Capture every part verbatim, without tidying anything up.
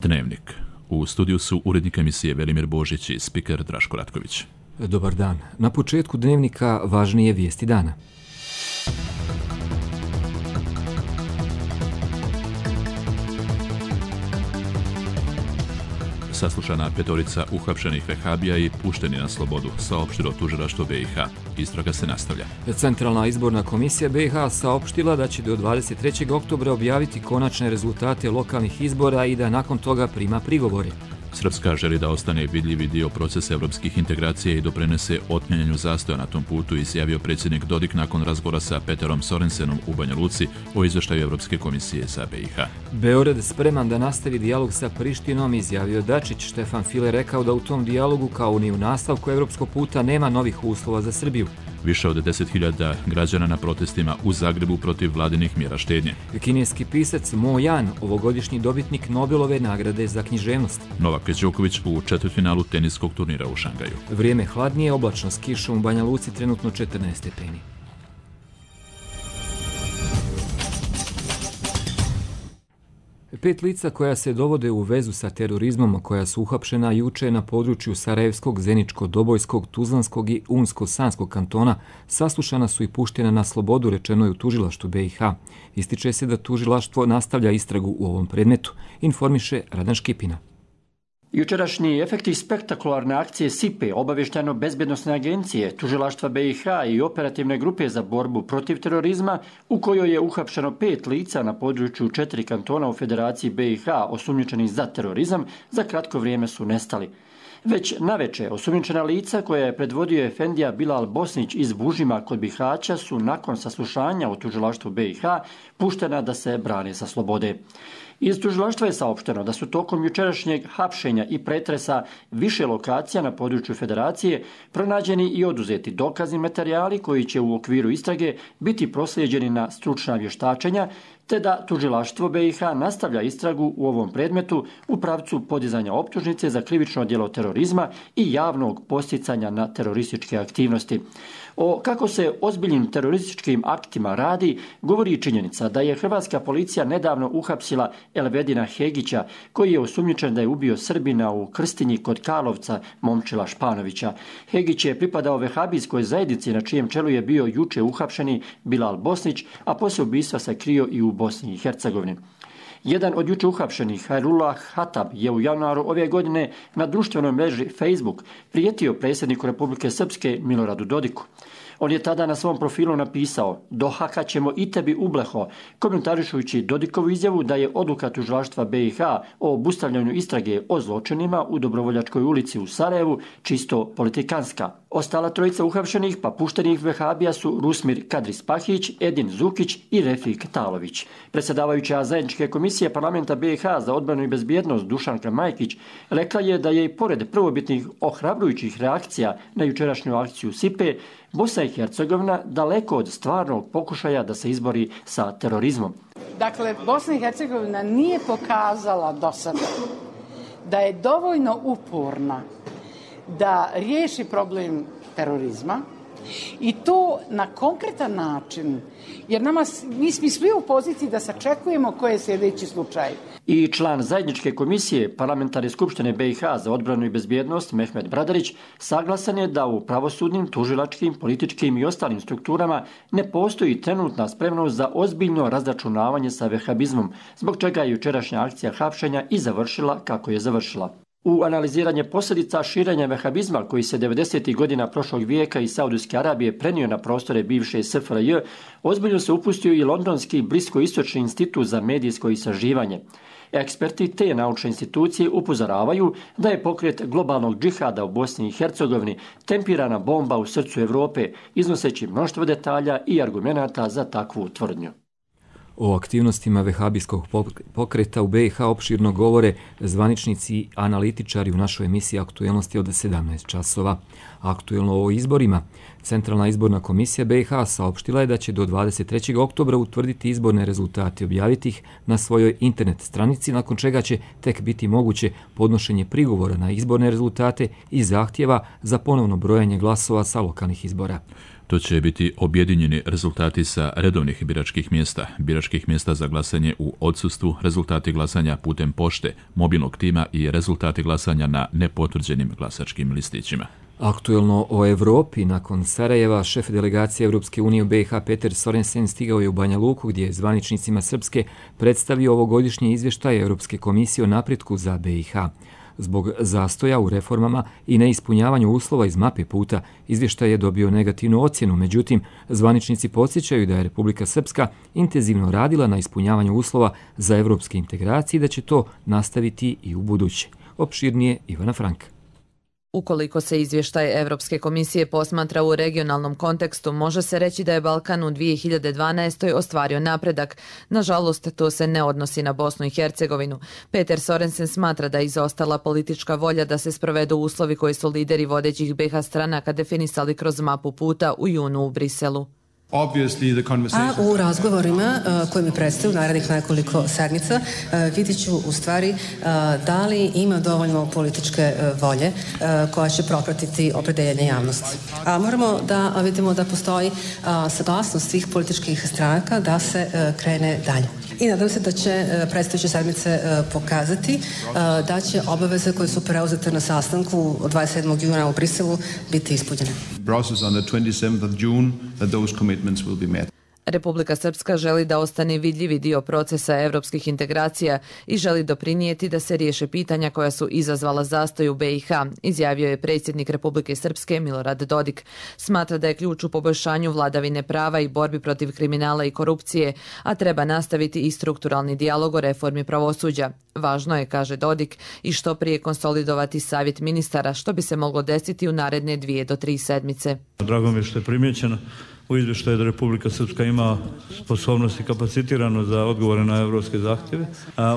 Dnevnik. U studiju su urednik emisije Velimir Božić i spiker Draško Ratković. Dobar dan. Na početku Dnevnika važnije vijesti dana. Saslušana petorica uhapšenih vehabija i pušteni na slobodu, saopštilo tužilaštvo B i H. Istraga se nastavlja. Centralna izborna komisija B i H saopštila da će do dvadeset trećeg oktobra objaviti konačne rezultate lokalnih izbora i da nakon toga prima prigovore. Srpska želi da ostane vidljivi dio procesa evropskih integracija i doprinese otklanjanju zastoja na tom putu, izjavio predsjednik Dodik nakon razgovora sa Peterom Sorensenom u Banja Luci o izveštaju Evropske komisije sa B i H. Beograd spreman da nastavi dijalog sa Prištinom, izjavio Dačić. Štefan File rekao da u tom dijalogu, kao ni u nastavku evropskog puta, nema novih uslova za Srbiju. Više od deset hiljada građana na protestima u Zagrebu protiv vladinih mjera štednje. Kineski pisac Mo Yan, ovogodišnji dobitnik Nobelove nagrade za književnost. Novak Đoković u četvrtfinalu teniskog turnira u Šangaju. Vrijeme hladnije, oblačno s kišom u Banja Luci, trenutno četrnaest stepeni. Pet lica koja se dovode u vezu sa terorizmom, koja su uhapšena juče na području Sarajevskog, Zeničko-Dobojskog, Tuzlanskog i Unsko-Sanskog kantona, saslušana su i puštena na slobodu, rečeno je u tužilaštvu B i H. Ističe se da tužilaštvo nastavlja istragu u ovom predmetu, informiše Radan Škipina. Jučerašnji efekti spektakularne akcije S I P E, obavještajno-bezbjednosne agencije, tužilaštva B i H i operativne grupe za borbu protiv terorizma, u kojoj je uhapšeno pet lica na području četiri kantona u Federaciji B i H osumnjičenih za terorizam, za kratko vrijeme su nestali. Već naveče osumnjičena lica koja je predvodio efendija Bilal Bosnić iz Bužima kod Bihaća su nakon saslušanja u tužilaštvu B i H puštena da se brane sa slobode. Iz tužilaštva je saopšteno da su tokom jučerašnjeg hapšenja i pretresa više lokacija na području Federacije pronađeni i oduzeti dokazni materijali koji će u okviru istrage biti proslijeđeni na stručna vještačenja, te da tužilaštvo B i H nastavlja istragu u ovom predmetu u pravcu podizanja optužnice za krivično djelo terorizma i javnog posticanja na terorističke aktivnosti. O kako se ozbiljnim terorističkim aktima radi, govori i činjenica da je hrvatska policija nedavno uhapsila Elvedina Hegića, koji je osumnjičen da je ubio Srbina u Krstinji kod Karlovca Momčila Španovića. Hegić je pripadao vehabijskoj zajednici na čijem čelu je bio juče uhapšeni Bilal Bosnić, a poslije ubistva se krio i u Bosni i Hercegovini. Jedan od juče uhapšenih, Hajrullah Hatab, je u januaru ove godine na društvenoj mreži Facebook prijetio predsjedniku Republike Srpske Miloradu Dodiku. On je tada na svom profilu napisao: "Dohakat ćemo i tebi ubleho", komentarišujući Dodikovu izjavu da je odluka tužilaštva B i H o obustavljanju istrage o zločinima u Dobrovoljačkoj ulici u Sarajevu čisto politikanska. Ostala trojica uhapšenih pa puštenih vehabija su Rusmir Kadri-Spahić, Edin Zukić i Refik Talović. Predsjedavajuća zajedničke komisije parlamenta B i H za odbranu i bezbjednost Dušanka Majkić rekla je da je i pored prvobitnih ohrabrujućih reakcija na jučerašnju akciju S I P E, Bosna i Hercegovina daleko od stvarnog pokušaja da se izbori sa terorizmom. Dakle, Bosna i Hercegovina nije pokazala do sada da je dovoljno uporna da riješi problem terorizma i to na konkretan način, jer nama, mi smo svi u poziciji da sačekujemo koji je sljedeći slučaj. I član zajedničke komisije Parlamentarne skupštine B i H za odbranu i bezbjednost Mehmet Bradarić saglasan je da u pravosudnim, tužilačkim, političkim i ostalim strukturama ne postoji trenutna spremnost za ozbiljno razračunavanje sa vehabizmom, zbog čega je jučerašnja akcija hapšenja i završila kako je završila. U analiziranje posljedica širenja vehabizma koji se devedesetih godina prošlog vijeka iz Saudijske Arabije prenio na prostore bivše S F R J, ozbiljno se upustio i Londonski Bliskoistočni institut za medijsko istraživanje. Eksperti te naučne institucije upozoravaju da je pokret globalnog džihada u Bosni i Hercegovini tempirana bomba u srcu Europe, iznoseći mnoštvo detalja i argumenata za takvu tvrdnju. O aktivnostima vehabijskog pokreta u B i H opširno govore zvaničnici i analitičari u našoj emisiji Aktuelnosti od sedamnaest časova. Aktuelno o izborima. Centralna izborna komisija B i H saopštila je da će do dvadeset trećeg oktobra utvrditi izborne rezultate i objaviti ih na svojoj internet stranici, nakon čega će tek biti moguće podnošenje prigovora na izborne rezultate i zahtjeva za ponovno brojanje glasova sa lokalnih izbora. To će biti objedinjeni rezultati sa redovnih biračkih mjesta, biračkih mjesta za glasanje u odsustvu, rezultati glasanja putem pošte, mobilnog tima i rezultati glasanja na nepotvrđenim glasačkim listićima. Aktuelno o Evropi. Nakon Sarajeva, šef delegacije Europske unije u B i H Peter Sorensen stigao je u Banja Luku, gdje je zvaničnicima Srpske predstavio ovogodišnji izvještaj Europske komisije o napretku za B i H. Zbog zastoja u reformama i neispunjavanju uslova iz mape puta, izvještaj je dobio negativnu ocjenu. Međutim, zvaničnici podsjećaju da je Republika Srpska intenzivno radila na ispunjavanju uslova za evropske integracije i da će to nastaviti i u buduće. Opširnije Ivana Franka. Ukoliko se izvještaj Evropske komisije posmatra u regionalnom kontekstu, može se reći da je Balkan u dvije hiljade dvanaestoj. ostvario napredak. Nažalost, to se ne odnosi na Bosnu i Hercegovinu. Peter Sorensen smatra da je izostala politička volja da se sprovedu uslovi koji su lideri vodećih B i H stranaka definisali kroz mapu puta u junu u Briselu. A u razgovorima koje mi predstavljaju narednih nekoliko sedmica vidjet ću u stvari da li ima dovoljno političke volje koja će propratiti opredeljenje javnosti. A moramo da vidimo da postoji saglasnost svih političkih stranaka da se krene dalje. I nadam se da će predstojeće sedmice pokazati da će obaveze koje su preuzete na sastanku od dvadeset sedmog juna u Briselu biti ispunjene. Republika Srpska želi da ostane vidljivi dio procesa evropskih integracija i želi doprinijeti da se riješe pitanja koja su izazvala zastoj u B i H, izjavio je predsjednik Republike Srpske Milorad Dodik. Smatra da je ključ u poboljšanju vladavine prava i borbi protiv kriminala i korupcije, a treba nastaviti i strukturalni dijalog o reformi pravosuđa. Važno je, kaže Dodik, i što prije konsolidovati savjet ministara, što bi se moglo desiti u naredne dvije do tri sedmice. Drago mi je što je primjećeno u izvještaju da Republika Srpska ima sposobnost i kapacitirano za odgovore na evropske zahtjeve,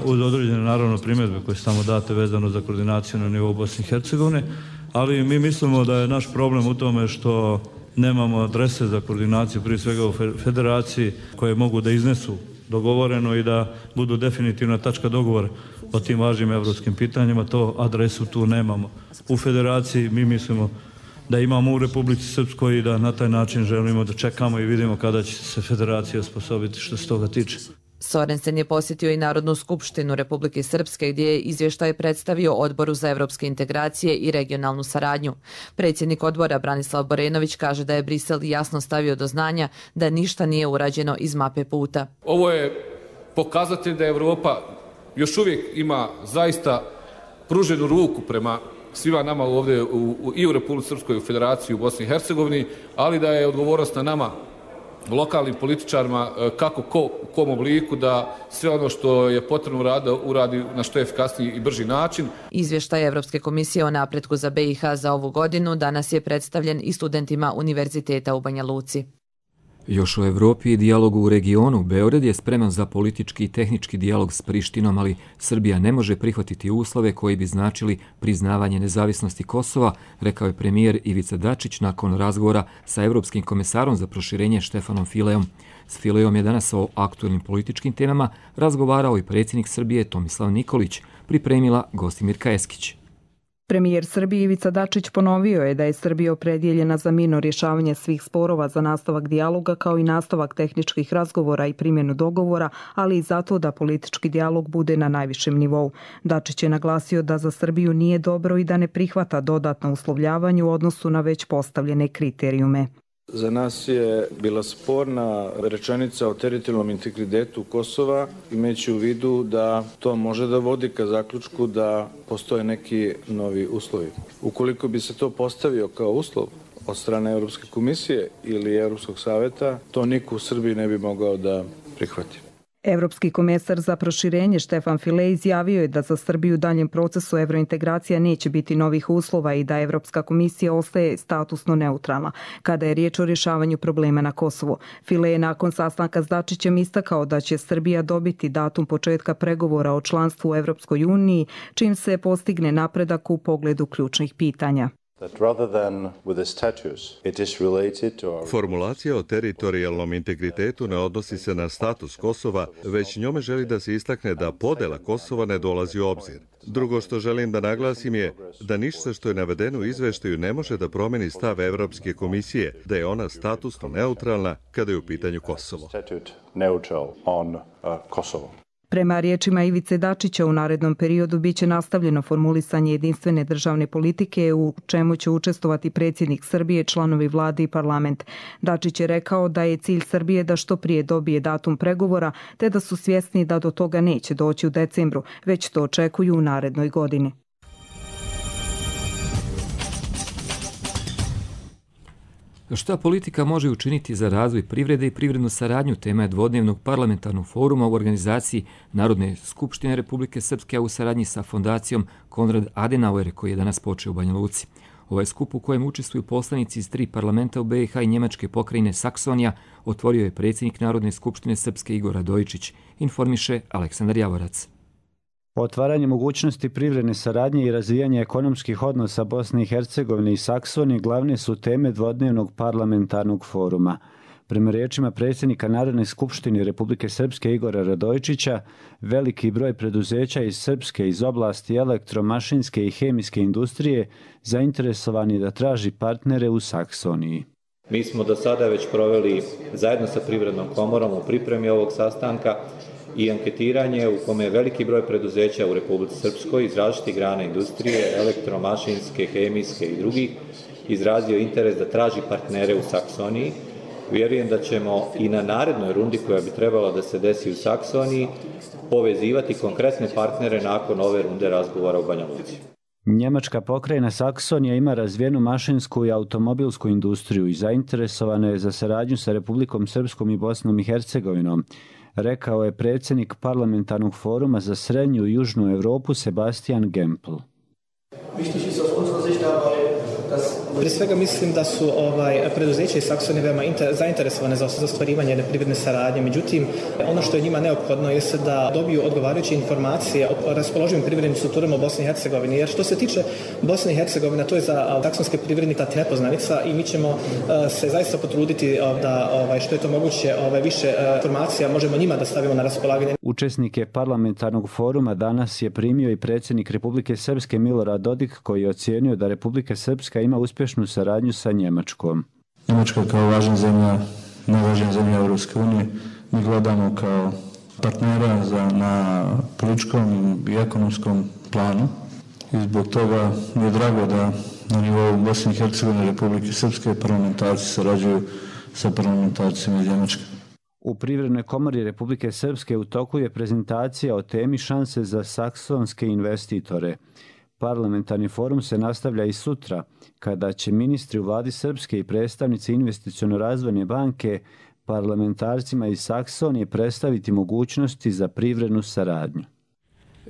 uz određene naravno primjedbe koje su tamo date vezano za koordinaciju na nivou Bosne i Hercegovine, ali mi mislimo da je naš problem u tome što nemamo adrese za koordinaciju, prije svega u federaciji, koje mogu da iznesu dogovoreno i da budu definitivna tačka dogovora o tim važnim evropskim pitanjima. To adresu tu nemamo. U federaciji mi mislimo da imamo u Republici Srpskoj i da na taj način želimo da čekamo i vidimo kada će se federacija osposobiti što se toga tiče. Sorensen je posjetio i Narodnu skupštinu Republike Srpske, gdje je izvještaj predstavio Odboru za evropske integracije i regionalnu saradnju. Predsjednik odbora Branislav Borenović kaže da je Brisel jasno stavio do znanja da ništa nije urađeno iz mape puta. Ovo je pokazatelj da Evropa još uvijek ima zaista pruženu ruku prema svima nama ovdje u, u, i u Republici Srpskoj, u Federaciji, u Bosni i Hercegovini, ali da je odgovornost na nama, lokalnim političarima, kako ko, u kom obliku, da sve ono što je potrebno uradi, uradi na što efikasniji i brži način. Izvještaj Evropske komisije o napretku za B i H za ovu godinu danas je predstavljen i studentima Univerziteta u Banja Luci. Još o Evropi i dijalogu u regionu. Beograd je spreman za politički i tehnički dijalog s Prištinom, ali Srbija ne može prihvatiti uslove koji bi značili priznavanje nezavisnosti Kosova, rekao je premijer Ivica Dačić nakon razgovora sa Evropskim komesarom za proširenje Štefanom Fileom. S Fileom je danas o aktuelnim političkim temama razgovarao i predsjednik Srbije Tomislav Nikolić, pripremila Gostimirka Eskić. Premijer Srbije Ivica Dačić ponovio je da je Srbija opredjeljena za mirno rješavanje svih sporova, za nastavak dijaloga kao i nastavak tehničkih razgovora i primjenu dogovora, ali i zato da politički dijalog bude na najvišem nivou. Dačić je naglasio da za Srbiju nije dobro i da ne prihvata dodatno uslovljavanje u odnosu na već postavljene kriterijume. Za nas je bila sporna rečenica o teritorijalnom integritetu Kosova, imajući u vidu da to može da vodi ka zaključku da postoje neki novi uslovi. Ukoliko bi se to postavio kao uslov od strane Evropske komisije ili Evropskog savjeta, to niko u Srbiji ne bi mogao da prihvati. Evropski komesar za proširenje Štefan File izjavio je da za Srbiju u daljem procesu evrointegracija neće biti novih uslova i da Evropska komisija ostaje statusno neutralna kada je riječ o rješavanju problema na Kosovu. File je nakon sastanka s Dačićem istakao da će Srbija dobiti datum početka pregovora o članstvu u Evropskoj uniji, čim se postigne napredak u pogledu ključnih pitanja. Formulacija o teritorijalnom integritetu ne odnosi se na status Kosova, već njome želi da se istakne da podela Kosova ne dolazi u obzir. Drugo što želim da naglasim je da ništa što je navedeno u izveštaju ne može da promeni stav Evropske komisije, da je ona statusno neutralna kada je u pitanju Kosovo. Prema riječima Ivice Dačića, u narednom periodu biće nastavljeno formulisanje jedinstvene državne politike u čemu će učestvovati predsjednik Srbije, članovi vlade i parlament. Dačić je rekao da je cilj Srbije da što prije dobije datum pregovora, te da su svjesni da do toga neće doći u decembru, već to očekuju u narednoj godini. Šta politika može učiniti za razvoj privrede i privrednu saradnju, tema je dvodnevnog parlamentarnog foruma u organizaciji Narodne skupštine Republike Srpske, a u saradnji sa fondacijom Konrad Adenauer, koji je danas počeo u Banja Luci. Ovaj skup u kojem učestvuju poslanici iz tri parlamenta u B i H i Njemačke pokrajine Saksonija otvorio je predsjednik Narodne skupštine Srpske Igor Radojičić, informiše Aleksandar Javorac. Otvaranje mogućnosti privredne saradnje i razvijanje ekonomskih odnosa Bosne i Hercegovine i Saksonije glavne su teme dvodnevnog parlamentarnog foruma. Prema riječima predsjednika Narodne skupštine Republike Srpske Igora Radojičića, veliki broj preduzeća iz Srpske iz oblasti elektromašinske i hemijske industrije zainteresovani da traži partnere u Saksoniji. Mi smo do sada već proveli zajedno sa Privrednom komorom u pripremi ovog sastanka i anketiranje u kome je veliki broj preduzeća u Republici Srpskoj iz različitih grana industrije, elektromašinske, hemijske i drugih izrazio interes da traži partnere u Saksoniji. Vjerujem da ćemo i na narednoj rundi koja bi trebala da se desi u Saksoniji povezivati konkretne partnere nakon ove runde razgovora u Banja Luci. Njemačka pokrajina Saksonija ima razvijenu mašinsku i automobilsku industriju i zainteresovana je za saradnju sa Republikom Srpskom i Bosnom i Hercegovinom, rekao je predsjednik parlamentarnog foruma za srednju i južnu Europu Sebastian Gempel. Prije svega mislim da su ovaj, preduzeće iz Saksonije veoma inter, zainteresovane za ostvarivanje jedne privredne saradnje. Međutim, ono što je njima neophodno je da dobiju odgovarajuće informacije o raspoloživim privrednim strukturama u Bosni i Hercegovini. Jer što se tiče Bosne i Hercegovine, to je za saksonske privrednike nepoznanica i mi ćemo uh, se zaista potruditi uh, da ovaj, što je to moguće ovaj, više uh, informacija možemo njima da stavimo na raspolaganje. Učesnike parlamentarnog foruma danas je primio i predsjednik Republike Srpske Milorad Dodik, koji je ocijenio da Republika Srpska ima uspješnu saradnju sa Njemačkom. Njemačka kao važna zemlja, najvažnija zemlja Europske unije, mi gledamo kao partnera za, na političkom i ekonomskom planu i zbog toga mi je drago da na nivou Bosne i Hercegovine i Republike Srpske parlamentarci sarađuju sa parlamentarcima iz Njemačke. U Privrednoj komori Republike Srpske u toku je prezentacija o temi šanse za saksonske investitore. Parlamentarni forum se nastavlja i sutra, kada će ministri u vladi Srpske i predstavnici investiciono-razvojne banke parlamentarcima iz Saksonije predstaviti mogućnosti za privrednu saradnju.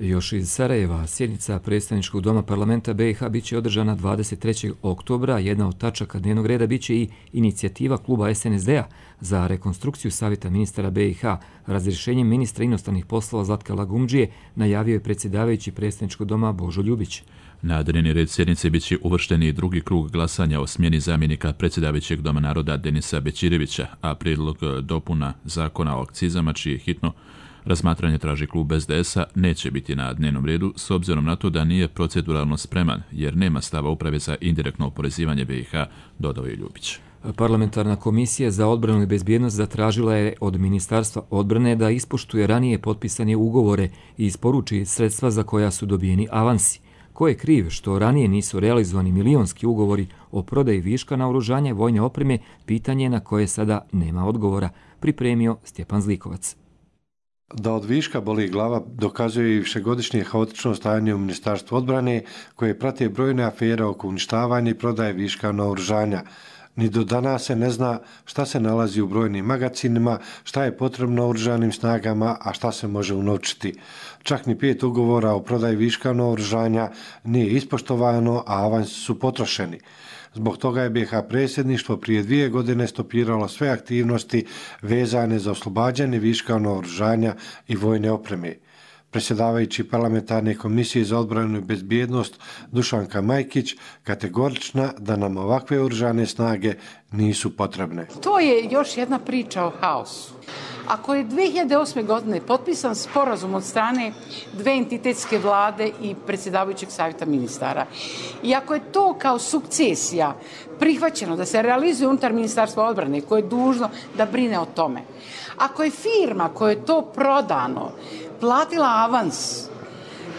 Još iz Sarajeva, sjednica predstavničkog doma parlamenta B i H biće održana dvadeset trećeg oktobra. Jedna od tačaka dnevnog reda biće i inicijativa kluba S N S D-a za rekonstrukciju savjeta ministara B i H. Razrješenjem ministra inostranih poslova Zlatka Lagumdžije najavio je predsjedavajući predstavničkog doma Božo Ljubić. Na dnevni red sjednice biće uvršteni i drugi krug glasanja o smjeni zamjenika predsjedavajućeg doma naroda Denisa Bećirevića, a prijedlog dopuna zakona o akcizama, čije hitno razmatranje traži klub S D S-a, neće biti na dnevnom redu s obzirom na to da nije proceduralno spreman, jer nema stava uprave za indirektno oporezivanje B i H, dodao je Ljubić. Parlamentarna komisija za odbranu i bezbjednost zatražila je od Ministarstva odbrane da ispoštuje ranije potpisane ugovore i isporuči sredstva za koja su dobijeni avansi. Ko je kriv što ranije nisu realizovani milionski ugovori o prodaji viška naoružanja i vojne opreme, pitanje na koje sada nema odgovora, pripremio Stjepan Zlikovac. Da od viška boli glava dokazuje i višegodišnje haotično stajanje u Ministarstvu odbrane, koje prate brojne afere oko uništavanja i prodaje viška naoružanja. Ni do danas se ne zna šta se nalazi u brojnim magacinima, šta je potrebno oružanim snagama, a šta se može unovčiti. Čak ni pet ugovora o prodaji viška naoružanja nije ispoštovano, a avansi su potrošeni. Zbog toga je B i H predsjedništvo prije dvije godine stopiralo sve aktivnosti vezane za oslobađanje viška naoružanja i vojne opreme. Predsjedavajući parlamentarne komisije za odbranu i bezbjednost Dušanka Majkić kategorična da nam ovakve oružane snage nisu potrebne. To je još jedna priča o haosu. Ako je dve hiljade osme. godine potpisan sporazum od strane dve entitetske vlade i predsjedavajućeg savjeta ministara, i ako je to kao sukcesija prihvaćeno da se realizuje unutar Ministarstva odbrane koje je dužno da brine o tome, ako je firma koja je to prodano platila avans,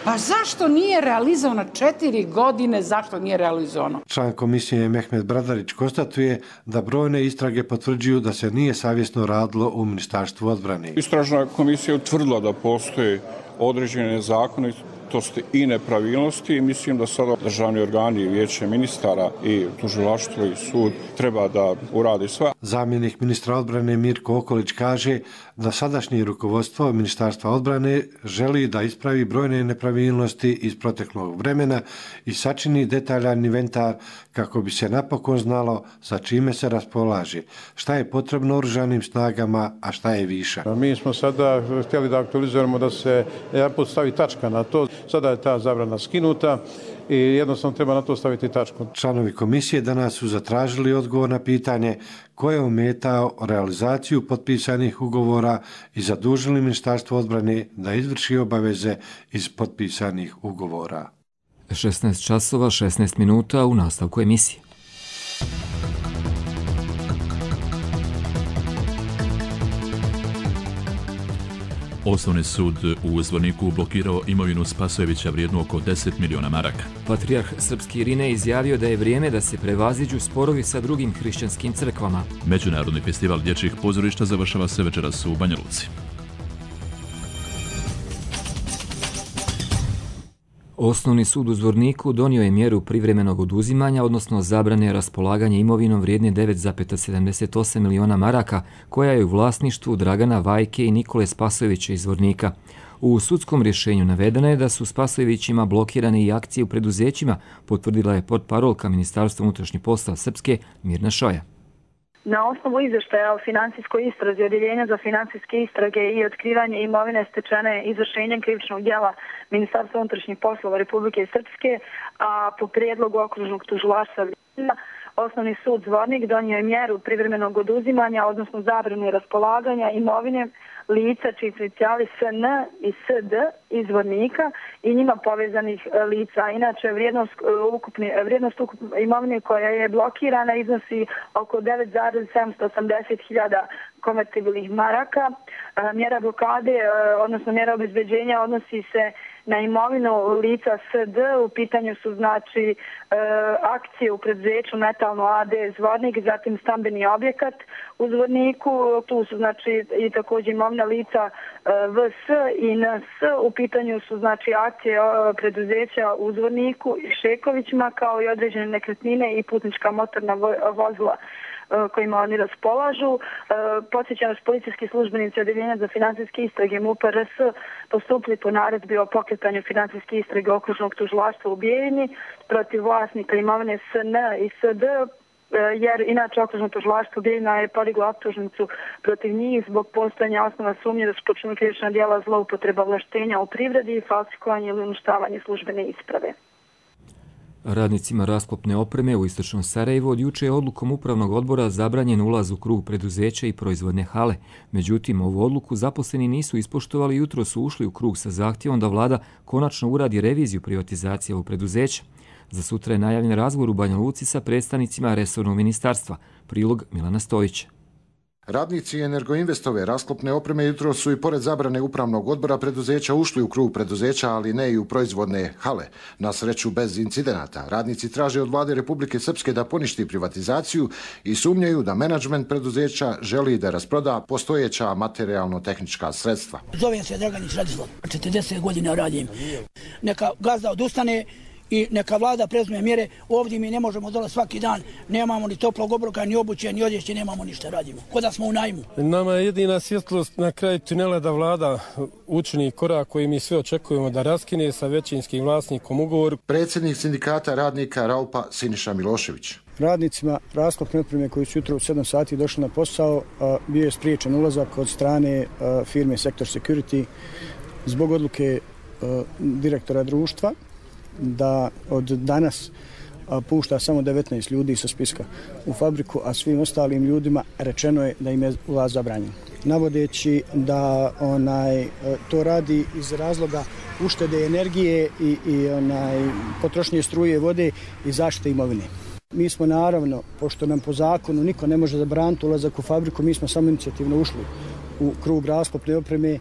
pa zašto nije realizovano četiri godine, zašto nije realizovano? Član komisije Mehmet Bradarić konstatuje da brojne istrage potvrđuju da se nije savjesno radilo u Ministarstvu odbrane. Istražna komisija utvrdila da postoje određene zakonitosti i nepravilnosti i mislim da sada državni organi, vijeće ministara i tužilaštvo i sud treba da uradi sve. Zamjenik ministra odbrane Mirko Okolić kaže da sadašnje rukovodstvo Ministarstva odbrane želi da ispravi brojne nepravilnosti iz proteklog vremena i sačini detaljan inventar kako bi se napokon znalo sa čime se raspolaže, šta je potrebno oružanim snagama, a šta je viša. Mi smo sada htjeli da aktualizujemo da se jedanput stavi tačka na to. Sada je ta zabrana skinuta i jednostavno treba na to staviti tačku. Članovi komisije danas su zatražili odgovor na pitanje ko je ometao realizaciju potpisanih ugovora i zadužili Ministarstvo odbrane da izvrši obaveze iz potpisanih ugovora. šesnaest časova šesnaest minuta u nastavku emisije. Osnovni sud u Zvorniku blokirao imovinu Spasojevića vrijednu oko deset miliona maraka. Patrijarh srpski Irine izjavio da je vrijeme da se prevaziđu sporovi sa drugim hrišćanskim crkvama. Međunarodni festival dječjih pozorišta završava se večeras u Banja Luci. Osnovni sud u Zvorniku donio je mjeru privremenog oduzimanja, odnosno zabrane raspolaganja imovinom vrijedne devet zarez sedamdeset osam miliona maraka, koja je u vlasništvu Dragana Vajke i Nikole Spasojevića iz Zvornika. U sudskom rješenju navedeno je da su Spasojevićima blokirane i akcije u preduzećima, potvrdila je portparolka Ministarstva unutrašnjih poslova Srpske Mirna Šoja. Na osnovu izvještaja o financijskoj istrazi Odjeljenja za financijske istrage i otkrivanje imovine stečene izvršenjem krivičnog djela Ministarstva unutrašnjih poslova Republike Srpske, a po prijedlogu okružnog tužilaštva Osnovni sud Zvornik donio je mjeru privremenog oduzimanja, odnosno zabrane raspolaganja imovine lica čiji su inicijali S N i S D iz Zvornika i njima povezanih lica. Inače, vrijednost ukupne, vrijednost ukupne imovine koja je blokirana iznosi oko devet zarez sedamsto osamdeset hiljada konvertibilnih maraka. Mjera blokade, odnosno mjera obezbeđenja odnosi se na imovinu lica S D. U pitanju su znači akcije u preduzeću Metalno A D Zvornik, zatim stambeni objekat u Zvorniku, tu su znači i također imovina lica V S i N S. U pitanju su znači akcije preduzeća u Zvorniku i Šekovićima, kao i određene nekretnine i putnička motorna vozila kojima oni raspolažu. Podsjećam, policijski službenici Odjeljenja za financijske istrage M U P R S postupili po naredbi o pokretanju financijske istrage okružnog tužilaštva u Bijeljini protiv vlasnika imovine S N i S D, jer inače okružno tužilaštvo Bijeljina je podiglo optužnicu protiv njih zbog postojanja osnova sumnje da su počinili krivična djela zloupotreba ovlaštenja u privredi i falsikovanje ili uništavanje službene isprave. Radnicima rasklopne opreme u istočnom Sarajevu od juče je odlukom upravnog odbora zabranjen ulaz u krug preduzeća i proizvodne hale. Međutim, ovu odluku zaposleni nisu ispoštovali i jutro su ušli u krug sa zahtjevom da vlada konačno uradi reviziju privatizacije ovog preduzeća. Za sutra je najavljen razgovor u Banja Luci sa predstavnicima resornog ministarstva. Prilog Milana Stojića. Radnici Energoinvestove rasklopne opreme jutro su i pored zabrane upravnog odbora preduzeća ušli u krug preduzeća, ali ne i u proizvodne hale. Na sreću bez incidenata. Radnici traže od vlade Republike Srpske da poništi privatizaciju i sumnjaju da menadžment preduzeća želi da rasproda postojeća materijalno-tehnička sredstva. Zovem se Draganić Radislav, četrdeset godina radim. Neka gazda odustane i neka vlada prezme mjere. Ovdje mi ne možemo dolaziti svaki dan, nemamo ni toplog obroka, ni obuće, ni odjeće, nemamo ništa, radimo. Kod da smo u najmu. Nama je jedina svjetlost na kraju tunela da vlada učini korak koji mi sve očekujemo da raskine sa većinskim vlasnikom ugovor. Predsjednik sindikata radnika Raupa Siniša Milošević. Radnicima rasklopne opreme koji su jutro u sedam sati došli na posao, bio je spriječen ulazak od strane firme Sektor Security zbog odluke direktora društva da od danas pušta samo devetnaest ljudi sa spiska u fabriku, a svim ostalim ljudima rečeno je da im je ulaz zabranjen. Navodeći da onaj, to radi iz razloga uštede energije i, i onaj, potrošnje struje, vode i zaštite imovine. Mi smo naravno, pošto nam po zakonu niko ne može zabraniti ulazak u fabriku, mi smo samo inicijativno ušli u krug rasklopne opreme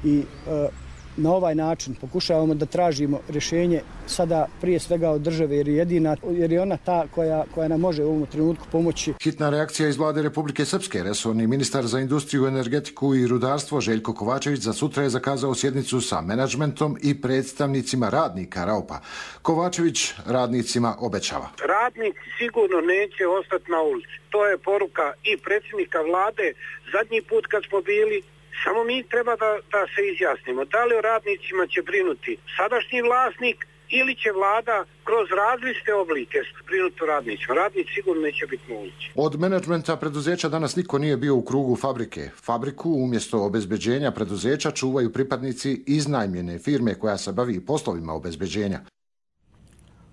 i e, na ovaj način pokušavamo da tražimo rješenje sada prije svega od države, jer je jedina, jer je ona ta koja, koja nam može u ovom trenutku pomoći. Hitna reakcija iz vlade Republike Srpske. Resorni ministar za industriju, energetiku i rudarstvo Željko Kovačević za sutra je zakazao sjednicu sa menadžmentom i predstavnicima radnika Raupa. Kovačević radnicima obećava. Radnici sigurno neće ostati na ulici. To je poruka i predsjednika vlade zadnji put kad smo bili. Samo mi treba da, da se izjasnimo. Da li o radnicima će brinuti sadašnji vlasnik ili će vlada kroz različite oblike brinuti o radnicima. Radnici sigurno neće biti na ulici. Od menadžmenta preduzeća danas niko nije bio u krugu fabrike. Fabriku umjesto obezbeđenja preduzeća čuvaju pripadnici iznajmljene firme koja se bavi poslovima obezbeđenja.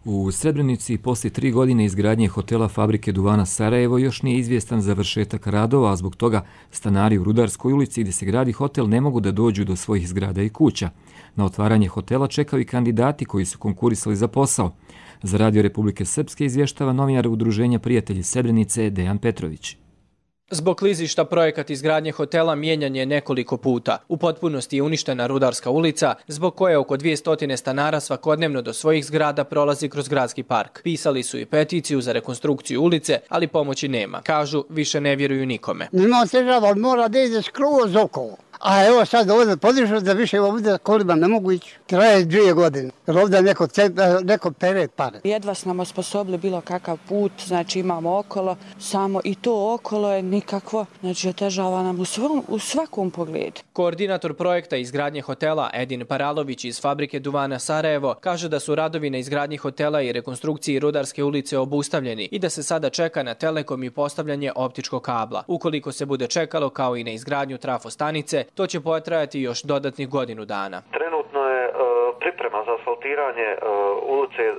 U Srebrenici poslije tri godine izgradnje hotela fabrike duvana Sarajevo još nije izvjestan završetak radova, a zbog toga stanari u Rudarskoj ulici gdje se gradi hotel ne mogu da dođu do svojih zgrada i kuća. Na otvaranje hotela čekaju i kandidati koji su konkurisali za posao. Za Radio Republike Srpske izvještava novinar Udruženja Prijatelji Srebrenice Dejan Petrović. Zbog klizišta projekat izgradnje hotela mijenjan je nekoliko puta. U potpunosti je uništena Rudarska ulica, zbog koje oko dvjesto stanara svakodnevno do svojih zgrada prolazi kroz gradski park. Pisali su i peticiju za rekonstrukciju ulice, ali pomoći nema. Kažu, više ne vjeruju nikome. Ima težava, mora da ide skroz okolo. A evo sad ovdje podižu da više ovdje kolima ne mogu ići. Traje dvije godine. Jer ovdje neko, neko pere pare. Jedva smo nam osposobili bilo kakav put, znači imamo okolo, samo i to okolo je nikakvo, znači otežava nam u, svom, u svakom pogledu. Koordinator projekta izgradnje hotela Edin Paralović iz fabrike duvana Sarajevo kaže da su radovi na izgradnji hotela i rekonstrukciji Rudarske ulice obustavljeni i da se sada čeka na Telekom i postavljanje optičkog kabla. Ukoliko se bude čekalo kao i na izgradnju trafostanice, to će potrajati još dodatnih godinu dana. Trenutno je e, priprema za asfaltiranje e, ulice e,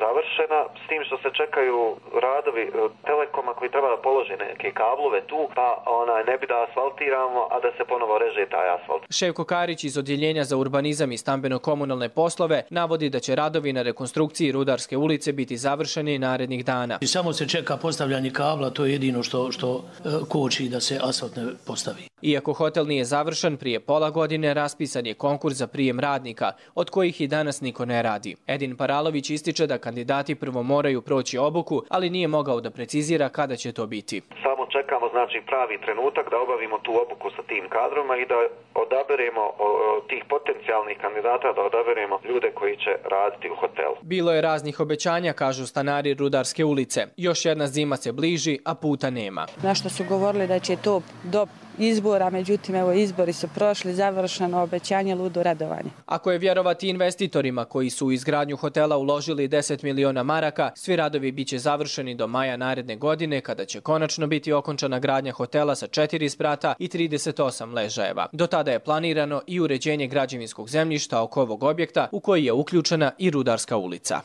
završena, s tim što se čekaju radovi e, Telekoma koji treba da položi neke kablove tu, pa onaj, ne bi da asfaltiramo, a da se ponovo reže taj asfalt. Ševko Karić iz Odjeljenja za urbanizam i stambeno-komunalne poslove navodi da će radovi na rekonstrukciji Rudarske ulice biti završeni narednih dana. I samo se čeka postavljanje kabla, to je jedino što, što e, koči da se asfalt ne postavi. Iako hotel nije završen, prije pola godine raspisan je konkurs za prijem radnika, od kojih i danas niko ne radi. Edin Paralović ističe da kandidati prvo moraju proći obuku, ali nije mogao da precizira kada će to biti. Samo čekamo znači pravi trenutak da obavimo tu obuku sa tim kadroma i da odaberemo o, tih potencijalnih kandidata, da odaberemo ljude koji će raditi u hotelu. Bilo je raznih obećanja, kažu stanari Rudarske ulice. Još jedna zima se bliži, a puta nema. Nešto su govorili da će to do izbora, međutim, evo, izbori su prošli, završeno obećanje, ludo radovanje. Ako je vjerovati investitorima koji su u izgradnju hotela uložili deset miliona maraka, svi radovi biće završeni do maja naredne godine, kada će konačno biti okončana gradnja hotela sa četiri sprata i trideset osam ležajeva. Do tada je planirano i uređenje građevinskog zemljišta oko ovog objekta, u koji je uključena i Rudarska ulica.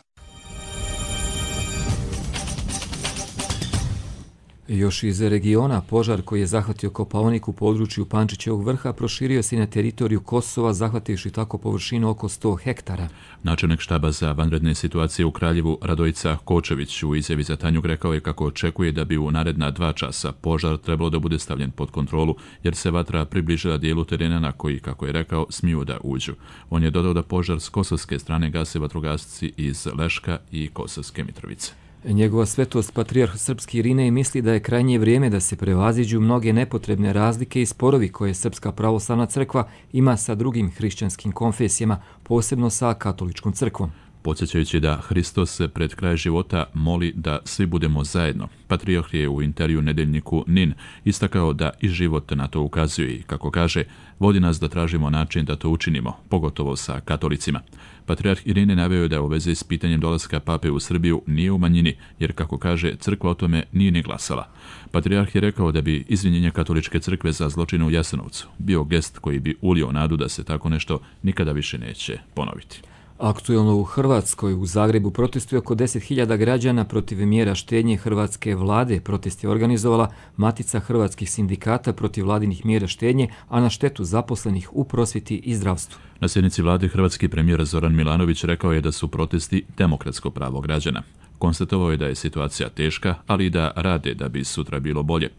Još iz regiona, požar koji je zahvatio Kopaonik u području Pančićevog vrha proširio se na teritoriju Kosova, zahvativši tako površinu oko sto hektara. Načelnik štaba za vanredne situacije u Kraljevu Radojica Kočević u izjavi za Tanjug rekao je kako očekuje da bi u naredna dva časa požar trebalo da bude stavljen pod kontrolu, jer se vatra približila dijelu terena na koji, kako je rekao, smiju da uđu. On je dodao da požar s kosovske strane gase vatrogasci iz Leška i Kosovske Mitrovice. Njegova svetost patrijarh srpski Irinej misli da je krajnje vrijeme da se prevaziđu mnoge nepotrebne razlike i sporovi koje Srpska pravoslavna crkva ima sa drugim hrišćanskim konfesijama, posebno sa katoličkom crkvom. podsjećajući da Hristos pred kraj života moli da svi budemo zajedno. Patrijarh je u intervju nedeljniku Nin istakao da i život na to ukazuje i, kako kaže, vodi nas da tražimo način da to učinimo, pogotovo sa katolicima. Patrijarh Irine naveo je da u vezi s pitanjem dolaska pape u Srbiju nije u manjini, jer, kako kaže, crkva o tome nije ni glasala. Patrijarh je rekao da bi izvinjenje katoličke crkve za zločine u Jasenovcu bio gest koji bi ulio nadu da se tako nešto nikada više neće ponoviti. Aktuelno u Hrvatskoj, u Zagrebu protestuje oko deset hiljada građana protiv mjera štednje hrvatske vlade. Protest je organizovala Matica hrvatskih sindikata protiv vladinih mjera štednje, a na štetu zaposlenih u prosvjeti i zdravstvu. Na sjednici vlade hrvatski premijer Zoran Milanović rekao je da su protesti demokratsko pravo građana. Konstatovao je da je situacija teška, ali i da rade da bi sutra bilo bolje.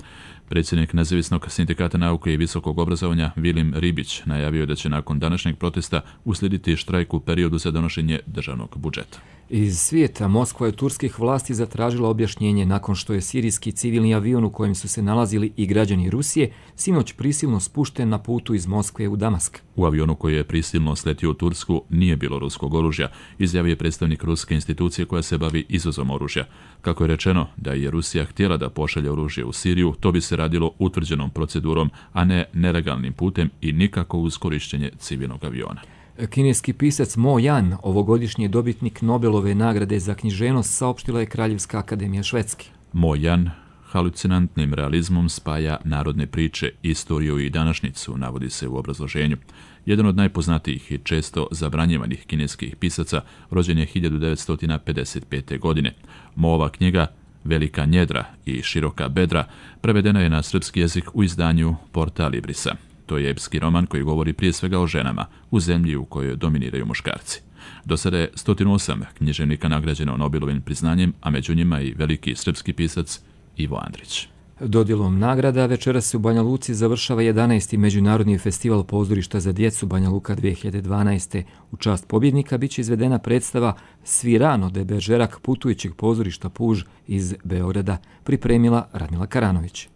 Predsjednik Nezavisnog sindikata nauke i visokog obrazovanja Vilim Ribić najavio da će nakon današnjeg protesta uslijediti štrajk u periodu za donošenje državnog budžeta. Iz svijeta Moskva je turskih vlasti zatražila objašnjenje nakon što je sirijski civilni avion u kojem su se nalazili i građani Rusije sinoć prisilno spušten na putu iz Moskve u Damask. U avionu koji je prisilno sletio u Tursku nije bilo ruskog oružja, izjavio je predstavnik ruske institucije koja se bavi izvozom oružja. Kako je rečeno da je Rusija htjela da pošalje oružje u Siriju, to bi se radilo utvrđenom procedurom, a ne nelegalnim putem i nikako uz korištenje civilnog aviona. Kineski pisac Mo Yan, ovogodišnji dobitnik Nobelove nagrade za književnost, saopštila je Kraljevska akademija Švedske. Mo Yan halucinantnim realizmom spaja narodne priče, istoriju i današnjicu, navodi se u obrazloženju. Jedan od najpoznatijih i često zabranjivanih kineskih pisaca rođen je hiljadu devetsto pedeset pete. godine. Moova knjiga Velika njedra i Široka bedra prevedena je na srpski jezik u izdanju Porta Librisa. To je epski roman koji govori prije svega o ženama u zemlji u kojoj dominiraju muškarci. Do sada je sto osam književnika nagrađeno Nobelovim priznanjem, a među njima i veliki srpski pisac Ivo Andrić. Dodjelom nagrada večeras se u Banja Luci završava jedanaesti Međunarodni festival pozorišta za djecu Banja Luka dvije hiljade dvanaeste. U čast pobjednika biće izvedena predstava Svirano de Bergerac putujućeg pozorišta Puž iz Beograda, pripremila Radmila Karanović.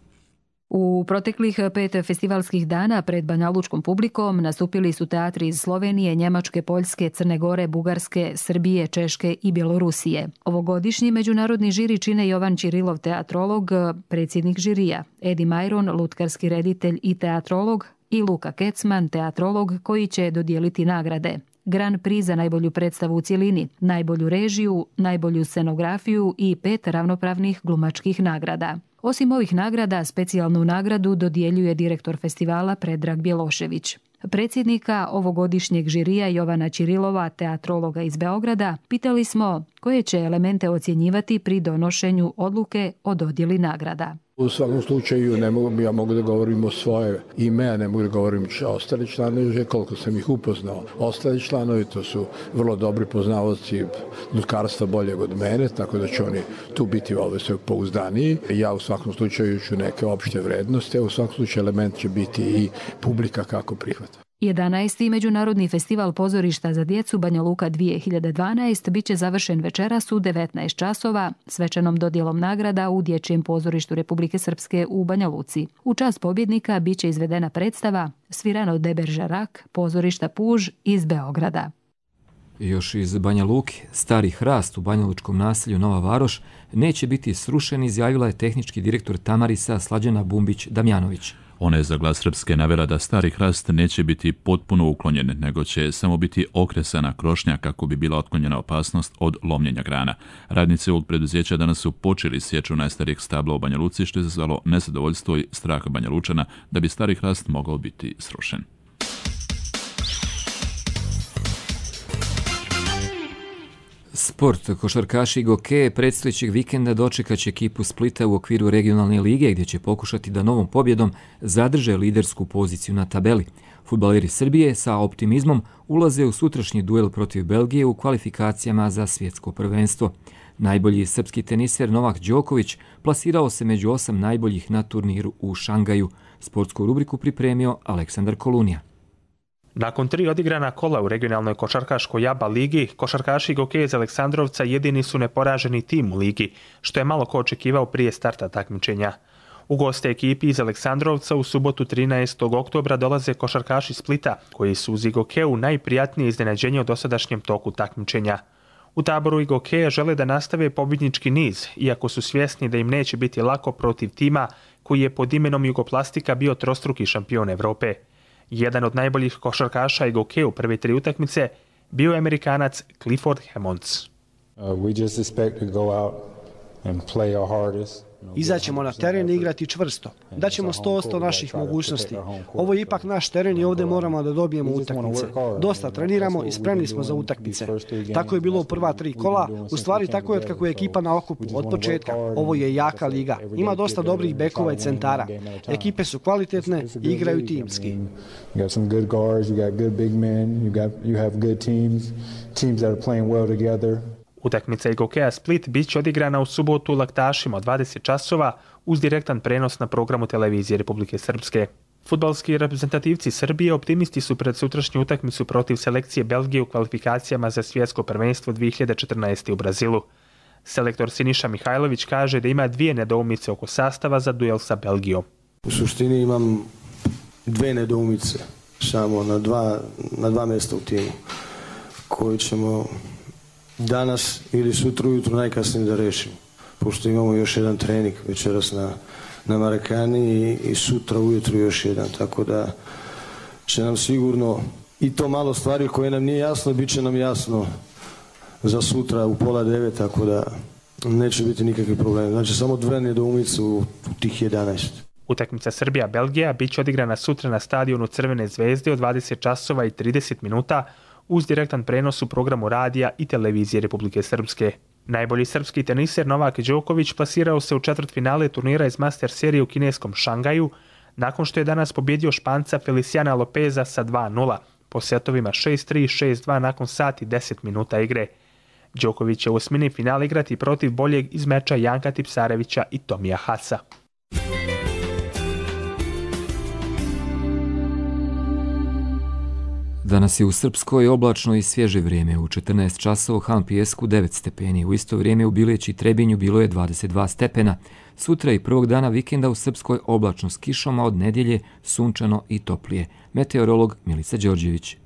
U proteklih pet festivalskih dana pred banjalučkom publikom nastupili su teatri iz Slovenije, Njemačke, Poljske, Crne Gore, Bugarske, Srbije, Češke i Bjelorusije. Ovogodišnji međunarodni žiri čine Jovan Čirilov, teatrolog, predsjednik žirija, Edi Majron, lutkarski reditelj i teatrolog, i Luka Kecman, teatrolog, koji će dodijeliti nagrade. Grand Prix za najbolju predstavu u cjelini, najbolju režiju, najbolju scenografiju i pet ravnopravnih glumačkih nagrada. Osim ovih nagrada, specijalnu nagradu dodjeljuje direktor festivala Predrag Bjelošević. Predsjednika ovogodišnjeg žirija Jovana Čirilova, teatrologa iz Beograda, pitali smo koje će elemente ocjenjivati pri donošenju odluke o dodjeli nagrada. U svakom slučaju ne mogu, ja mogu da govorim o svoje ime, a ne mogu da govorim ostali članovi, koliko sam ih upoznao. Ostali članovi to su vrlo dobri poznavaoci lutkarstva boljeg od mene, tako da će oni tu biti ove sve pouzdaniji. Ja u svakom slučaju ću neke opšte vrednosti, a u svakom slučaju element će biti i publika kako prihvata. jedanaesti Međunarodni festival pozorišta za djecu Banja Luka dvije hiljade dvanaeste biće završen večeras u devetnaest časova svečanom dodjelom nagrada u Dječjem pozorištu Republike Srpske u Banja Luci. U čast pobjednika biće izvedena predstava Svirano de Bergerac pozorišta Puž iz Beograda. Još iz Banja Luke, stari hrast u banjalučkom naselju Nova Varoš neće biti srušen, izjavila je tehnički direktor Tamarisa Slađana Bumbić-Damjanović. Ona je za Glas Srpske navela da stari hrast neće biti potpuno uklonjen, nego će samo biti okresana krošnja kako bi bila otklonjena opasnost od lomljenja grana. Radnici ovog preduzeća danas su počeli sječu najstarijeg stabla u Banja Luci, što je izazvalo nezadovoljstvo i strah Banja Lučana da bi stari hrast mogao biti srušen. Sport, košarkaši i gokeje predstojećeg vikenda dočekat će ekipu Splita u okviru regionalne lige, gdje će pokušati da novom pobjedom zadrže lidersku poziciju na tabeli. Fudbaleri Srbije sa optimizmom ulaze u sutrašnji duel protiv Belgije u kvalifikacijama za svjetsko prvenstvo. Najbolji srpski teniser Novak Đoković plasirao se među osam najboljih na turniru u Šangaju. Sportsku rubriku pripremio Aleksandar Kolunija. Nakon tri odigrana kola u regionalnoj košarkaškoj ABA ligi, košarkaši i gokeji iz Aleksandrovca jedini su neporaženi tim u ligi, što je malo ko očekivao prije starta takmičenja. U goste ekipi iz Aleksandrovca u subotu trinaestog oktobra dolaze košarkaši Splita, koji su uz Igokeu najprijatnije iznenađenje u dosadašnjem toku takmičenja. U taboru Igokeja žele da nastave pobjednički niz, iako su svjesni da im neće biti lako protiv tima koji je pod imenom Jugoplastika bio trostruki šampion Evrope. Jedan od najboljih košarkaša Igokeja u prve tri utakmice bio je Amerikanac Clifford Hammonds. Uh, we just expect to go out and play our hardest. Izaćemo na teren i igrati čvrsto. Daćemo sto posto naših mogućnosti. Ovo je ipak naš teren i ovdje moramo da dobijemo utakmice. Dosta treniramo i spremni smo za utakmice. Tako je bilo u prva tri kola. U stvari tako je od kako je ekipa na okupu od početka. Ovo je jaka liga. Ima dosta dobrih bekova i centara. Ekipe su kvalitetne i igraju timski. Utakmica Igokeja Split bit će odigrana u subotu u Laktašima od dvadeset časova uz direktan prenos na programu televizije Republike Srpske. Fudbalski reprezentativci Srbije optimisti su pred sutrašnju utakmicu protiv selekcije Belgije u kvalifikacijama za svjetsko prvenstvo dvije hiljade četrnaeste. u Brazilu. Selektor Siniša Mihajlović kaže da ima dvije nedoumice oko sastava za duel sa Belgijom. U suštini imam dve nedoumice samo na dva, na dva mjesta u timu koji ćemo danas ili sutra ujutro najkasnije da rešimo. Pošto imamo još jedan trening večeras na, na Marakani i, i sutra ujutro još jedan. Tako da će nam sigurno i to malo stvari koje nam nije jasno, bit će nam jasno za sutra u pola devet, tako da neće biti nikakvi problemi. Znači samo dve nedoumice u, u tih jedanaest. Utakmica Srbija-Belgija bit će odigrana sutra na stadionu Crvene zvezde od dvadeset časova i trideset minuta uz direktan prenos u programu radija i televizije Republike Srpske. Najbolji srpski teniser Novak Đoković plasirao se u četvrtfinale turnira iz Master serije u kineskom Šangaju nakon što je danas pobjedio Španca Feliciana Lopeza sa dva nula po setovima šest tri i šest dva nakon sat i deset minuta igre. Đoković će u osmini finale igrati protiv boljeg iz meča Janka Tipsarevića i Tomija Hasa. Danas je u Srpskoj oblačno i svježe vrijeme. U četrnaest časova u Han Pijesku devet stepeni. U isto vrijeme u Bileći i Trebinju bilo je dvadeset dva stepena. Sutra i prvog dana vikenda u Srpskoj oblačno s kišom, a od nedjelje sunčano i toplije. Meteorolog Milica Đorđević.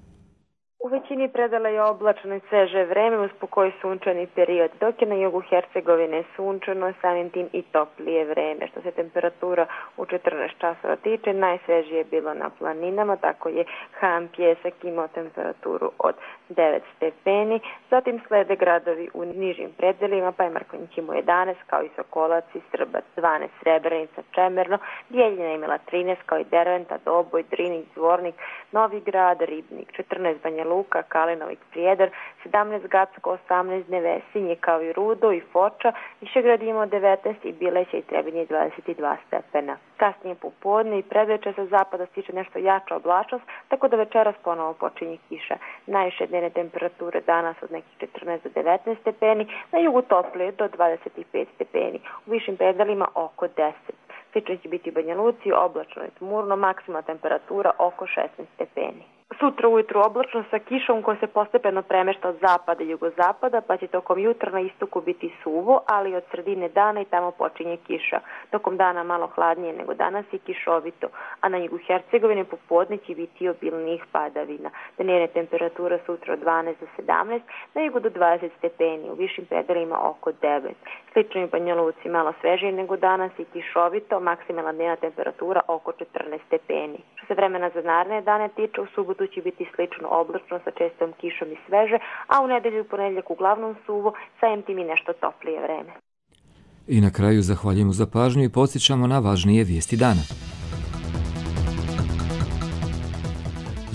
U većini predala je oblačno i sveže vreme uz pokoj sunčani period, dok je na jugu Hercegovine sunčano, samim tim i toplije vreme. Što se temperatura u četrnaest časova tiče, najsvežije je bilo na planinama, tako je Han Pijesak imao temperaturu od devet stepeni, zatim slede gradovi u nižim predelima, pa je Markonjić imao jedanaest, kao i Sokolac i Srbac dvanaest, Srebrenica, Čemerno, Bijeljina imala trinaest, kao i Derventa, Doboj, Drinik, Zvornik, Novi Grad, Ribnik, četrnaest, Banja Luka, Kalinovik, Prijedor, sedamnaest, Gacko, osamnaest, Nevesinje, kao i Rudo i Foča, Višegrad imao devetnaest i Bileća i Trebinje dvadeset dva stepena. Kasnije popodne i predveče sa zapada stiče nešto jača oblačnost, tako da večeras ponovo počinje kiša. Najviše dnevne temperature danas od nekih četrnaest do devetnaest stepeni, na jugu toplije do dvadeset pet stepeni, u višim predalima oko deset. Slično će biti u Banja Luci, oblačno i tmurno, maksimalna temperatura oko šesnaest stepeni. Sutra ujutru oblačno sa kišom koja se postepeno premešta od zapada i jugozapada, pa će tokom jutra na istoku biti suvo, ali od sredine dana i tamo počinje kiša. Tokom dana malo hladnije nego danas i kišovito, a na jugu Hercegovine popodne će biti obilnijih padavina. Dnevne temperatura sutra od dvanaest do sedamnaest, na jugu do dvadeset stepeni, u višim predelima oko devet. Slično i u Banja Luci malo svežije nego danas i kišovito, maksimalna dnevna temperatura oko četrnaest stepeni. Što se vremena za naredne dane tiče, u subotu će biti slično oblačno sa čestom kišom i sveže, a u nedelju i ponedjeljak uglavnom suvo, samim tim i nešto toplije vreme. I na kraju zahvaljujemo za pažnju i podsjećamo na važnije vijesti dana.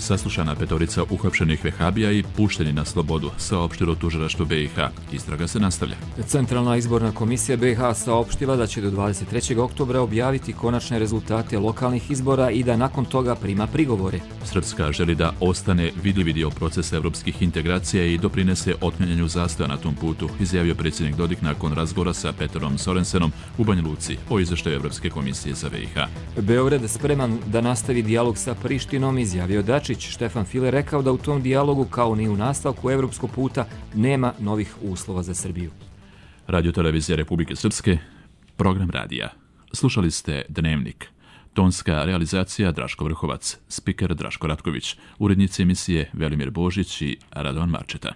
Saslušana petorica uhapšenih vehabija i pušteni na slobodu, saopštilo tužilaštvo B i H. Istraga se nastavlja. Centralna izborna komisija B i H saopštila da će do dvadeset trećeg oktobra objaviti konačne rezultate lokalnih izbora i da nakon toga prima prigovore. Srpska želi da ostane vidljivi dio procesa evropskih integracija i doprinese otklanjanju zastoja na tom putu, izjavio predsjednik Dodik nakon razgovora sa Peterom Sorensenom u Banja Luci o izvještaju Evropske komisije za B i H. Beograd spreman da nastavi dijalog sa Prištinom, izjavio Dačić. Štefan File rekao da u tom dijalogu, kao ni u nastavku evropskog puta, nema novih uslova za Srbiju. Radio televizija Republike Srpske, program radija. Slušali ste Dnevnik. Tonska realizacija Draško Vrhovac, spiker Draško Ratković, urednici emisije Velimir Božić i Radovan Marčeta.